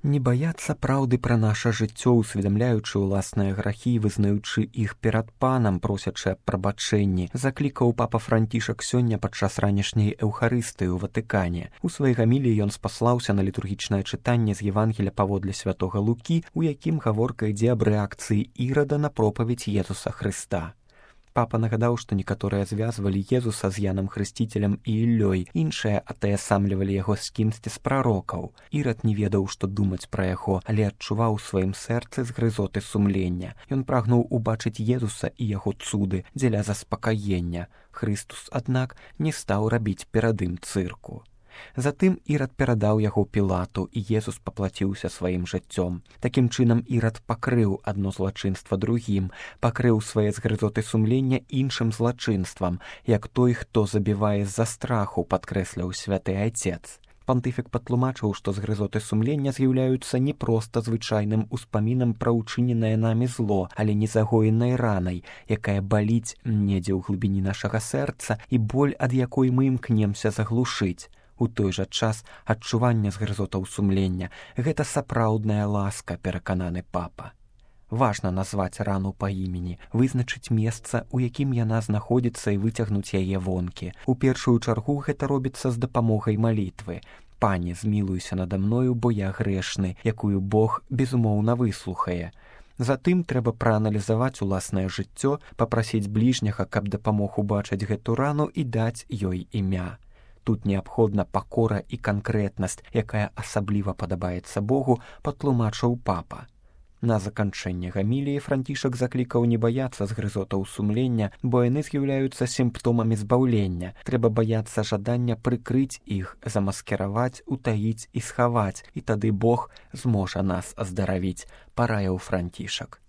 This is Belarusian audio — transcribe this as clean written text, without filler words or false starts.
Не баяцца праўды пра наша жыццё, усведамляючы ўласныя грахі, вызнаючы іх перад панам, просячы аб прабачэнні, заклікаў папа Францішак сёння падчас ранішняй эўхарыстыі ў Ватыкане. У сваёй гаміліі ён спаслаўся на літургічнае чытанне з Евангеля паводле святога Лукі, у якім гаворка ідзе аб рэакцыі Ірада на пропаведь Езуса Хрыста. Папа нагадаў, што некаторыя звязвалі Езуса з Янам Хрысціцелем і Іллёй, іншыя атаясамлівалі яго з кімсьці з прарокаў. Ірад не ведаў, што думаць пра яго, але адчуваў у сваім сэрцы згрызоты сумлення. Ён прагнуў убачыць Езуса і яго цуды дзеля заспакаення. Хрыстус, аднак, не стаў рабіць перад ім цырку. Затым Ірад перадаў яго Пілату, і Езус паплаціўся сваім жыццём. Такім чынам Ірад пакрыў адно злачынства другім, пакрыў свае згрызоты сумлення іншым злачынствам, як той, хто забівае з-за страху, падкрэсляў святы айцец. Пантыфік патлумачыў, што згрызоты сумлення з'яўляюцца не проста звычайным успамінам пра ўчыненае намі зло, але незагоенай ранай, якая баліць недзе ў глыбіні нашага сэрца і боль, ад якой мы імкнемся заглушыць. У той жа час адчуванне згрызотаў сумлення – гэта сапраўдная ласка, перакананы папа. Важна назваць рану па імені, вызначыць месца, у якім яна знаходзіцца і выцягнуць яе вонкі. У першую чаргу гэта робіцца з дапамогай малітвы. «Пане, змілуйся нада мною, бо я грэшны», якую Бог, безумоўна, выслухае. Затым трэба прааналізаваць уласнае жыццё, папрасіць бліжняга, каб дапамог убачыць гэту рану і даць ёй імя. Тут неабходна пакора і канкрэтнасць, якая асабліва падабаецца Богу, патлумачыў папа. На заканчэнне гаміліі Францішак заклікаў не баяцца згрызотаў сумлення, бо яны з'яўляюцца сімптомамі збаўлення. Трэба баяцца жадання прыкрыць іх, замаскіраваць, утаіць і схаваць, і тады Бог зможа нас аздаравіць, параіў Францішак.